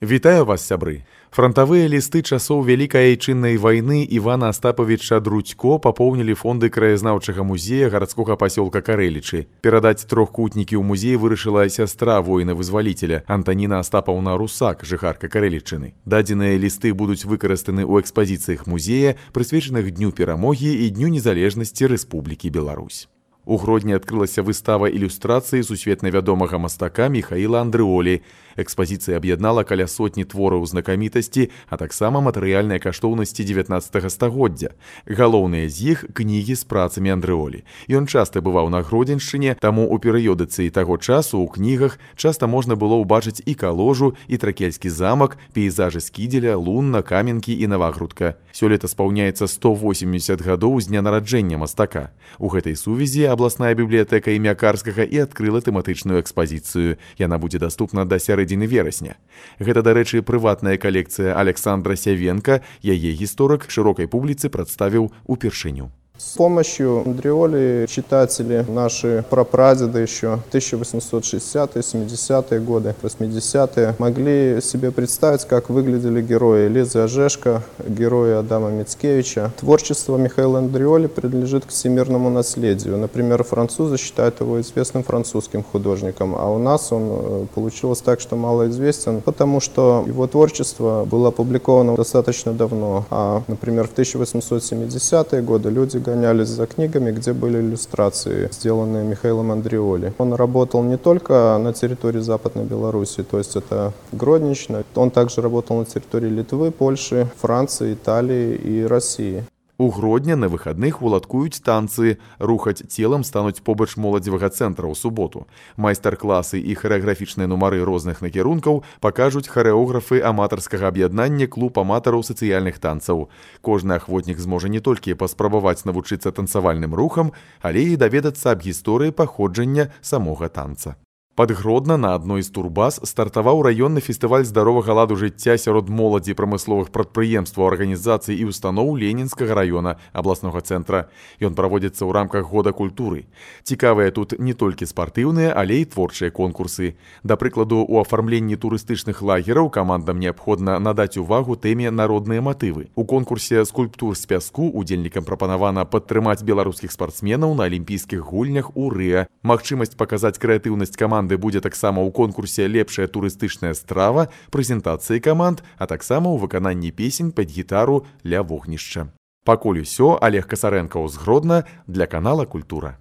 Вітаю вас, сябры! Фронтавыя лісты часоў Вялікай айчыннай вайны Івана Астапавіча Друцько папоўнілі фонды краязнаўчага музея гарадскога пасёлка Карэлічы. Перадаць трохкутнікі ў музей вырашыла сястра воіна-вызваліцеля Антаніна Астапаўна Русак, жыхарка Карэлічыны. Дадзеныя лісты будуць выкарыстаны ў экспазіцыях музея, прысвечаных Дню перамогі і Дню незалежнасці Рэспублікі Беларусь. У Гродні адкрылася выстава ілюстрацыі сусветна вядомага мастака Міхаіла Андрыолі. Экспазіцыя аб'яднала каля сотні твораў знакамітасці, а таксама матэрыяльныя каштоўнасці 19 стагоддзя. Галоўныя з іх кнігі з працамі Андрыолі. Ён часта бываў на Гродзеншчыне, таму ў перыёдыцыі таго часу ў кнігах часта можна было ўбачыць і Каложу, і Тракельскі замак, пейзажы Скідзеля, Лунна, Каменкі і Навагрудка. Сёлета спаўняецца 180 гадоў з дня нараджэння мастака. У гэтай сувязі абласная бібліятэка імя Карскага і адкрыла тэматычную экспазіцыю. Яна будзе даступна да сярэдзіны верасня. Гэта, дарэчы, прыватная калекцыя Александра Сявенка, яе гісторык шырокай публіцы прадставіў упершыню. С помощью Андрыоли читатели, наши прапрадеды еще 1860-е, 70-е годы, 80-е, могли себе представить, как выглядели герои Лизы Ожешко, герои Адама Мицкевича. Творчество Михаила Андрыоли принадлежит к всемирному наследию. Например, французы считают его известным французским художником, а у нас он получилось так, что малоизвестен, потому что его творчество было опубликовано достаточно давно. Например, в 1870-е годы люди гонялись за книгами, где были иллюстрации, сделанные Михаилом Андрыоли. Он работал не только на территории Западной Беларуси, то есть это Гроднична, он также работал на территории Литвы, Польши, Франции, Италии и России. У Гродня на выхадных уладкуюць танцы, рухаць целам стануць побач моладзевага цэнтра ў суботу. Майстар-класы і харэаграфічныя нумары розных накірункаў пакажуць харэографы аматарскага аб'яднання клуб аматараў сацыяльных танцаў. Кожны ахвотнік зможа не толькі паспрабаваць навучыцца танцавальным рухам, але і даведацца аб гісторыі паходжання самога танца. Пад Гродна на адной з турбаз стартаваў раённы фестываль здаровага ладу жыцця сярод моладзі прамысловых прадпрыемстваў, арганізацый і устаноў Ленінскага раёна абласнога цэнтра. Ён праводзіцца ў рамках года культуры. Цікавыя тут не толькі спартыўныя, але і творчыя конкурсы. Да прыкладу, у афармленні турыстычных лагераў камандам неабходна надаць увагу тэме народныя матывы. У конкурсе скульптур з пяску удзельнікам прапанавана падтрымаць беларускіх спартсменаў на алімпійскіх гульнях у Рыа. Магчымасць паказаць крэатыўнасць каманды будзе таксама ў конкурсе «Лепшая турыстычная страва», прэзентацыі каманд, а таксама ў выкананні песень пад гітару ля вогнішча. Пакуль усё, Олег Касарэнкаў з Гродна для канала «Культура».